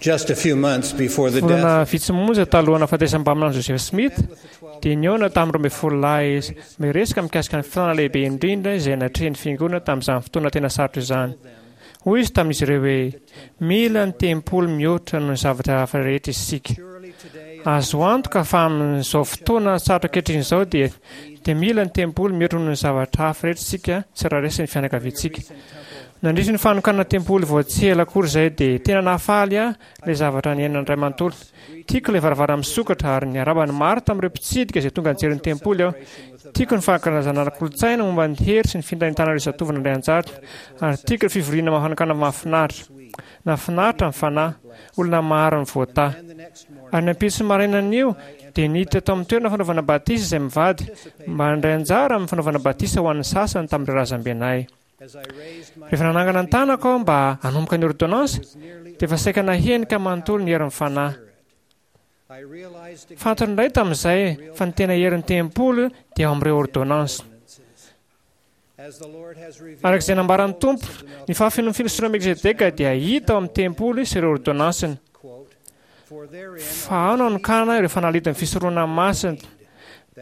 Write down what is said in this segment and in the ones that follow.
Just a few months before the death Volana vitsy monja talohan'ny nahafatesan'ny mpaminany Joseph Smith, dia nihaona tamin'ny 12 lahy izy, miresaka mikasika ny filàna lehibe indrindra izay natrehin'ny Fiangonana tamin'izany fotoana tena sarotra izany. Hoy izy tamin'izy ireo hoe, Mila ny tempoly mihoatra noho ny zavatra hafa rehetra isika. Azo antoka fa amin'izao fotoana sarotra ankehitriny izao dia dia mila ny tempoly mihoatra noho ny zavatra hafa rehetra isika tsirairay sy ny fianakaviantsika. Nandritry ny fanokanana tempoly vao tsy ela akory izay dia tena nahafaly ahy ilay zavatra niainan'ny ray manontolo. Tiako ilay varavarana misokatra ary niarahaba ny maro tamin'ireo mpitsidika izay tonga nijery ny tempoly aho. Tiako ny fankalazana ara-kolontsaina momba ny hery sy ny fintaintanan'ireo zatovo nandray anjara ary tiako ireo fivoriana fanokana mahafinaritra. Nahafinaritra ny fanahy. Olona maro no voatahy. Ary ny ampitso marainan'io dia niditra tao amin'ny toerana fanaovana batisa izay mivady mba handray anjara amin'ny fanaovana batisa ho an'ny sasany tamin'ireo razambenay. Rehefa nanangana ny tanako aho mba hanomboka ny ôrdônansy, dia efa saika nahenika manontolo ny herin'ny Fanahy. Fantatro indray tamin'izay fa ny tena herin'ny tempoly dia ao amin'ireo ôrdônansy. Araka izay nambaran'ny Tompo, ny fahafenoan'ny filosoran'i Melkizedeka dia hita ao amin'ny tempoly sy ireo ôrdônansiny. Fa ao no anokanana ireo fanalahidin'ny fisoronana masina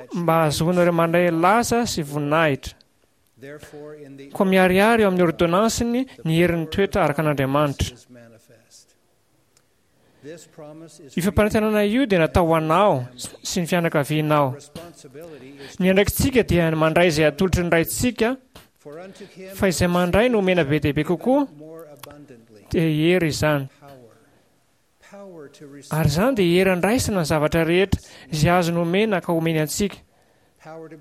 mba hahazoana ireo mandray laza sy voninahitra. Koa miharihary eo amin'ny ôrdônansiny ny herin'ny toetra araka an'Andriamanitra. Io fampanantenana io dia natao ho anao sy ny fianakavianao. Ny andraikitsika dia ny mandray izay atolotry ny Raintsika, fa izay mandray no omena be dia be kokoa, dia hery izany. Ary izany dia hery andraisana ny zavatra rehetra izay azony omena ka omeny antsika,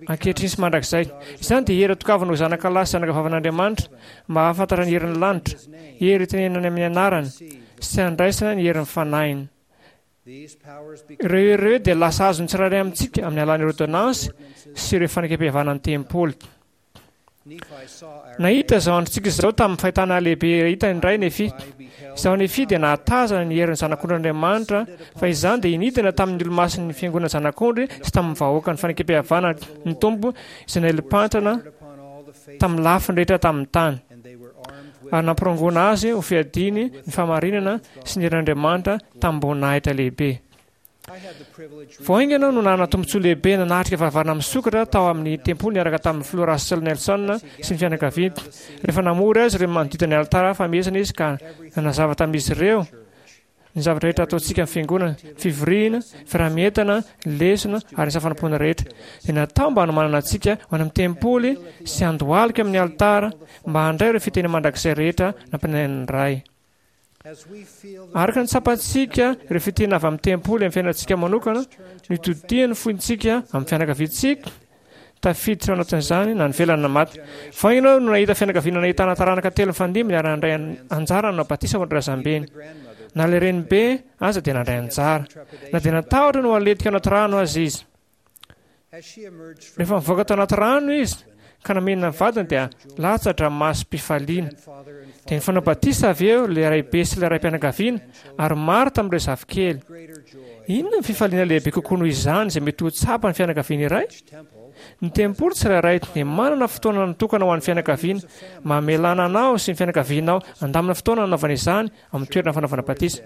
ankehitriny sy mandrakizay. Izany dia hery atokavana ho zanaka lahy sy zanaka vavin'Andriamanitra mba hahafantatra ny herin'ny lanitra, hery itenenany amin'ny anarany, sy handraisana ny herin'ny fanahiny. Ireo hery ireo dia lasa azon'ny tsirairay amintsika amin'ny alalan'ny ôrdônansy sy ireo fanekempihavanan'ny tempoly. Nahita izao androntsika izao tamin'ny fahitana lehibe hita indray Nefia. Izaho Nefia dia nahatazana ny herin'ny Zanak'ondrin'Andriamanitra, fa izany dia nidina tamin'ny olomasin'ny Fiangonana Zanak'ondry sy tamin'ny vahoakan'ny Fanekempihavanana ny Tompo izay naelim-pantrana tamin'ny lafiny rehetra tamin'ny tany, ary nampirongoana azy ho fiadiany ny fahamarinana sy ny herin'Andriamanitra tamim-boninahitra lehibe. Vao haingana aho no nanana tombontsoa lehibe nanatrika varavarana misokatra tao amin'ny tempoly niaraka tamin'ny Filoha Russell Nelson sy ny fianakaviany. Rehefa namory azy ireo manodidina ny alitara famehezana izy ka nanazava tamin'izy ireo ny zavatra rehetra ataontsika amin'ny fiangonana, ny fivoriana, ny fiaraha-mientana, ny lesona ary ny asa fanompoana rehetra, dia natao mba hanomanana antsika ho any amin'ny tempoly sy handohalika amin'ny alitara mba handray ireo fitahiana mandrakizay rehetra nampananain'ny Ray. Araka ny tsapantsika ireo fitahiana avy amin'ny tempoly amin'ny fiainantsika manokana, no itodihan'ny fontsika amin'ny fianakaviantsika, tafiditra ao anatin'izany na ny velona na maty. Vao haingana aho no nahita fianakaviana nahitana taranaka telo nifandimby niara-nandray anjara nanao batisa ho an'ny razambeny. Na ilay renibe aza dia nandray anjara, na dia natahotra ny ho aletika ao anaty rano aza izy. Rehefa nivoaka tao anaty rano izy ka namena ny vadiny dia latsa-dranomasom-pifaliana. Dia nifanao batisa avy eo ilay raibe sy ilay raim-pianakaviana ary maro tamin'ireo zafikely. Inona ny fifaliana lehibe kokoa noho izany izay mety ho tsapan'ny fianakaviana iray? Ny tempoly tsirairay dia manana fotoana natokana ho an'ny fianakaviana, mamelana anao sy ny fianakavianao handamina fotoana hanaovana izany amin'ny toerana fanaovana batisa.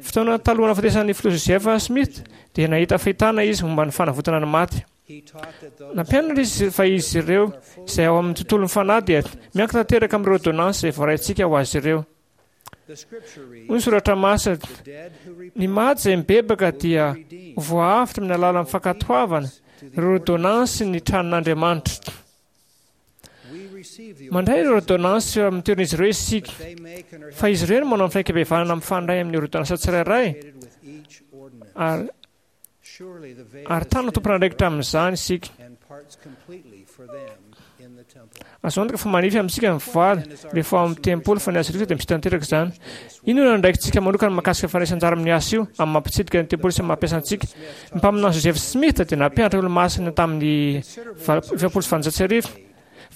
Fotoana talohan'ny nahafatesan'ny Filoha Joseph Smith dia nahita fahitana izy momba ny fanavotana ny maty. Nampianatra izy fa izy ireo izay ao amin'ny tontolon'ny fanahy dia miankina tanteraka amin'ireo ôrdônansy izay voaraintsika ho azy ireo. Hoy ny soratra masina, Ny maty izay mibebaka dia ho voaavotra amin'ny alalan'ny fankatoavana ireo ôrdônansy ny tranon'Andriamanitra. Mandray ireo ôrdônansy eo amin'ny toeran'izy ireo isika, fa izy ireo no manao ny fanekem-pihavanana mifandray amin'ny ôrdônansa tsirairay, ary ary tany no tompon'andraikitra amin'izany isika. Azo antoka fa manify amintsika ny voaly rehefa ao amin'ny tempoly fa ny azy rehetra dia misy tanteraka izany. Inona no andraikitsika manokana mahakasika ny fandraisana anjara amin'ny asa io, amin'ny maha mpitsidika ny tempoly sy amin'ny maha mpiasa antsika? Ny mpaminany Joseph Smith dia nampianatra olomasina tamin'ny 1840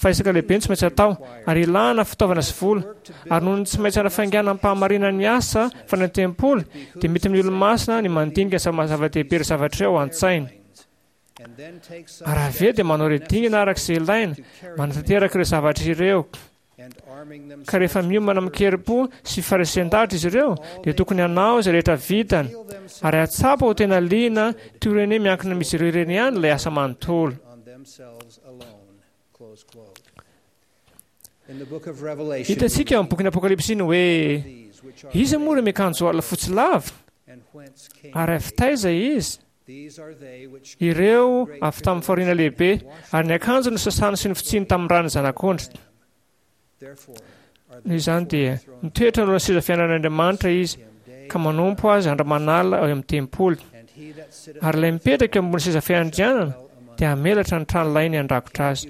fa ezaka lehibe no tsy maintsy atao, ary ilana fitaovana sy vola, ary noho ny tsy maintsy hanafainganam-pahamarinana ny asa fanao ny tempoly, dia mety amin'ny olomasina ny mandinika ny zava-dehibe ireo zavatra ireo ao an-tsainy. Ary avy eo dia manao ireo dingana araka izay ilaina manatanteraka ireo zavatra ireo. Ka rehefa miomana amin-kerim-po sy faharesen-dahatra izy ireo, dia tokony hanao izay rehetra vitany, ary hahatsapa ho tena liana toy ireny hoe miankina amin'izy ireo ireny ihany ilay asa manontolo. Hitantsika ao amin'ny bokin'ny Apokalypsy ny hoe iza moa ireo miakanjo ala fotsy lava, ary avy taiza izy? Ireo avy tamin'ny fahoriana lehibe, ary ny akanjony nosasany sy nofotsiany tamin'ny ran'ny Zanak'ondry. Noho izany dia mitoetra anoloan'ny seza fiainan'Andriamanitra izy, ka manompo azy andro aman'alina ao amin'ny tempoly. Ary ilay mipetraka eo ambony seza fiandrianana dia hamelatra ny tranolainy handrakotra azy.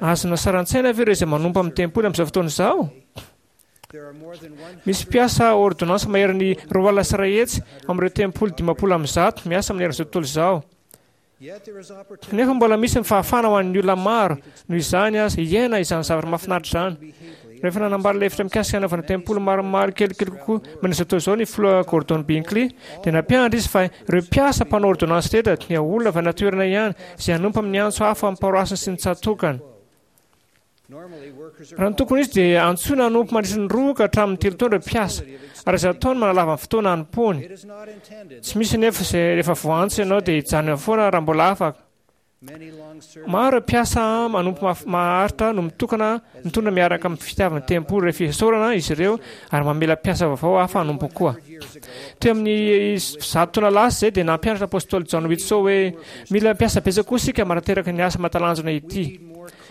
Azonao sary an-tsaina ve ireo izay manompo amin'ny tempoly amin'izao fotoana izao? Misy mpiasa ôrdônansy maherin'ny 120 amin'ireo tempoly 150 miasa manerana izao tontolo izao. Kanefa mbola misy ny fahafahana ho an'ny olona maro, noho izany aza, hiaina izany zavatra mahafinaritra izany. Rehefa nanambara ilay hevitra mikasika hanaovana tempoly maromaro kelikely kokoa manerana izao tontolo izao ny filoha Gordon Binkley, dia nampianatra izy fa ireo mpiasa mpanao ôrdônansy rehetra dia olona avy any an-toerana ihany izay hanompo amin'ny antso hafa amin'ny paroasiny sy ny tsatòkany. Raha ny tokony ho izy dia antsoina hanompo mandritra ny roa ka hatramin'ny telo taona ireo mpiasa, ary azo atao ny manalava ny fotoana hanompoany. Tsy misy anefa izay rehefa voaantso ianao dia hijanona eo foana raha mbola afaka. Maro ireo mpiasa manompo maharitra no mitokana mitondra miaraka amin'ny fitiavan'ny tempoly ireo fisaorana izy ireo ary mamela mpiasa vaovao hafa hanompo koa. Teo amin'ny 100 taona lasa izay dia nampianatra Apostoly John Whitsoe hoe mila mpiasa betsaka koa isika manateraka ny asa mahatalanjona ity.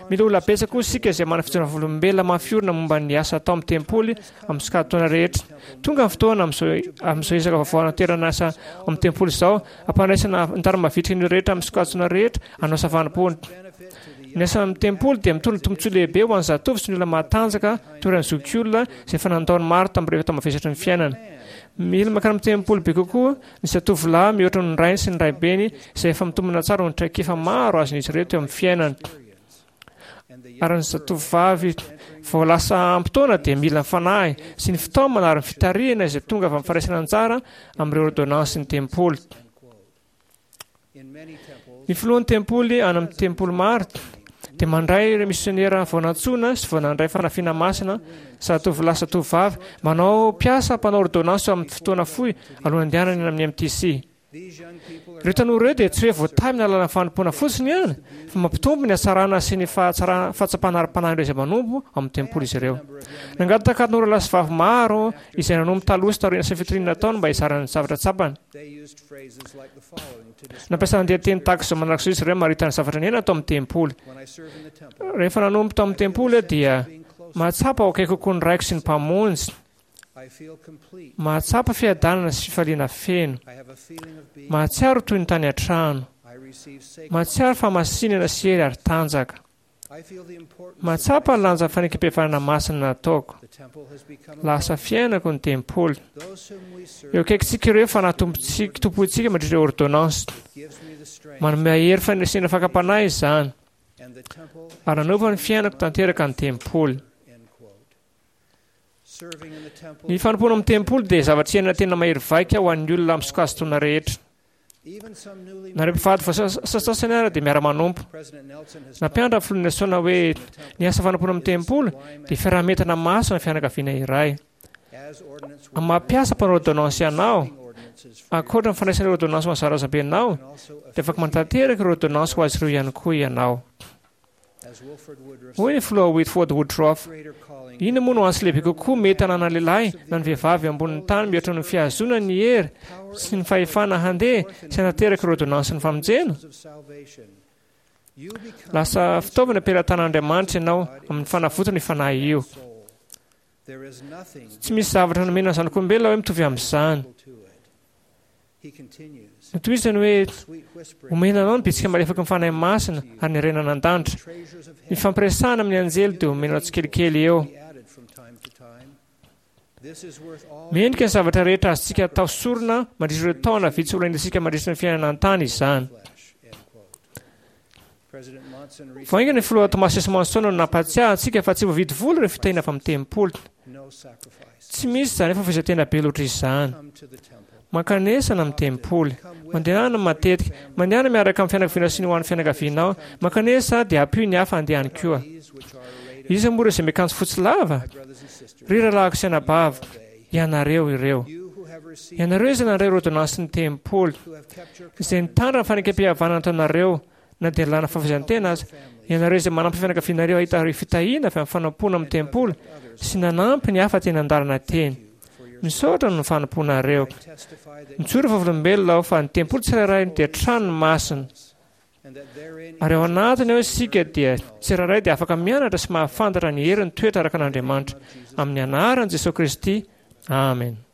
Mila olona betsaka koa isika izay manana fijoroana vavolombelona mafy orina momba ny asa atao amin'ny tempoly amin'ny sokajin-taona rehetra. Tonga ny fotoana amin'izao amin'izao ezaka vaovao hanaterana asa ao amin'ny tempoly izao, hampandraisana antara mavitrika ny olona rehetra amin'ny sokajin-taona rehetra hanao asa fanompoana. Ny asa amin'ny tempoly dia mitondra tombontsoa lehibe ho an'ny zatovo sy ny olona matanjaka toy ireny zokiolona izay efa nandao ny maro tamin'ireo efa mavesatry ny fiainana. Mila mankany amin'ny tempoly be kokoa ny zatovolahy mihoatra noho ny rainy sy ny raibeny izay efa mitombina tsara noho ny traikefa maro azon'izy ireo teo amin'ny fiainany. Ary ny zatovovavy vao lasa ampy taona dia mila ny fanahy sy ny fitaomana ary ny fitarihana izay tonga avy amin'ny fandraisana anjara amin'ireo ôrdônansin'ny tempoly. Ny filohan'ny tempoly any amin'ny tempoly maro dia mandray ireo misionera vao nantsoina sy vao nandray fanafiana masina, zatovolahy sy zatovovavy, manao mpiasa mpanao ôrdônansy amin'ny fotoana fohy alohan'ny handehanany any amin'ny MTC. Ireo tanora ireo dia tsy hoe voatahy amin'ny alalan'ny fanompoana fotsiny ihany, fa mampitombo ny hatsarana sy ny fahatsapana ara-panahin'ireo izay manompo ao amin'ny tempoly izy ireo. Nangataka tanora lahy sy vavy maro izay nanompo taloha sy taorian'ny asa fitoriana nataony mba hizara ny zavatra tsapany. Nampiasa andian-teny tahaka izao manaraka izao izy ireo hamarita ny zavatra niainana tao amin'ny tempoly. Rehefa nanompo tao amin'ny tempoly aho dia mahatsapa ho akaiky kokoa ny Raiko sy ny Mpamonjy. Mahatsapa fiadanana sy fifaliana feno. Mahatsiaro toy ny tany an-trano. Mahatsiaro fahamasinana sy hery ary tanjaka. Mahatsapa ny lanjan'ny fanekempihavanana masina nataoko. Lasa fiainako ny tempoly. Eo akaikintsika ireo fanahy tompontsika, tompointsika mandritra ireo ôrdônansy. Manome ahy hery fandresena fakam-panahy izany. Ary nanova ny fiainako tanteraka ny tempoly. Ny fanompoana amin'ny tempoly dia zavatra iainana tena mahery vaika ho an'ny olona amin'ny sokajin-taona rehetra. Na ireo mpivady vao sasasany ara dia miara-manompo. Nampianatra ny filoha Nelson hoe ny asa fanompoana amin'ny tempoly dia fiaraha-mientana masina ny fianakaviana iray. Amin'ny maha mpiasa mpanao ôrdônansy anao, ankoatra ny fandraisana ireo ôrdônansy ho an'ny zarazambenao, dia afaka manatanteraka ireo ôrdônansy ho azy ireo ihany koa ianao. Hoy ny filoha Whitford Woodruff, Inona moa no antso lehibe kokoa mety hananan'ny lehilahy na ny vehivavy eo ambonin'ny tany mihoatra noho ny fihazoana ny hery sy ny fahefana handeha sy hanateraka ireo ôrdônansin'ny famonjena? Lasa fitaovana am-pelatanan'Andriamanitra ianao amin'ny fanavotana io fanahy io. Tsy misy zavatra nomena ny zanak'olombelona hoe mitovy amin'izany. Notohizany hoe, Omena anao ny bitsika malefaky ny Fanahy Masina ary ny harena an-danitra. Ny fampiresahana amin'ny anjely dia omenao tsikelikely eo. Mendrika ny zavatra rehetra azontsika atao sorona mandritra ireo taona vitsy ho lainantsika mandritra ny fiainana an-tany izany. Vao haingana ny filoha Thomas S. Monson no nampahatsiahy antsika fa tsy voavidy vola ireo fitahiana avy amin'ny tempoly. Tsy misy izany fahafoizan-tena be loatra izany. Mankanesana amin'ny tempoly. Mandehana matetika. Mandehana miaraka amin'ny fianakaviana sy ny ho an'ny fianakavianao. Mankanesa dia ampio ny hafa handeha any koa. Iza moa ireo izay miakanjo fotsy lava? Ry rahalahiko sy anabaviko, ianareo ireo. Ianareo izay nandray ireo ôrdônansin'ny tempoly, izay nitandrina ny fanekempihavanana nataonareo na dia lalàna fahafoizan-tena aza, ianareo izay manampy ny fianakavianareo hahita ireo fitahiana avy amin'ny fanompoana amin'ny tempoly sy nanampy ny hafa teny an-dalana teny. Misaotra noho ny fanompoanareo. Mijoro vavolombelona aho fa ny tempoly tsirairay dia trano masina. Ary ao anatiny ao isika dia tsirairay dia afaka mianatra sy mahafantatra ny herin'ny toetra araka an'Andriamanitra. Amin'ny anaran'i Jesoa Kristy, amena.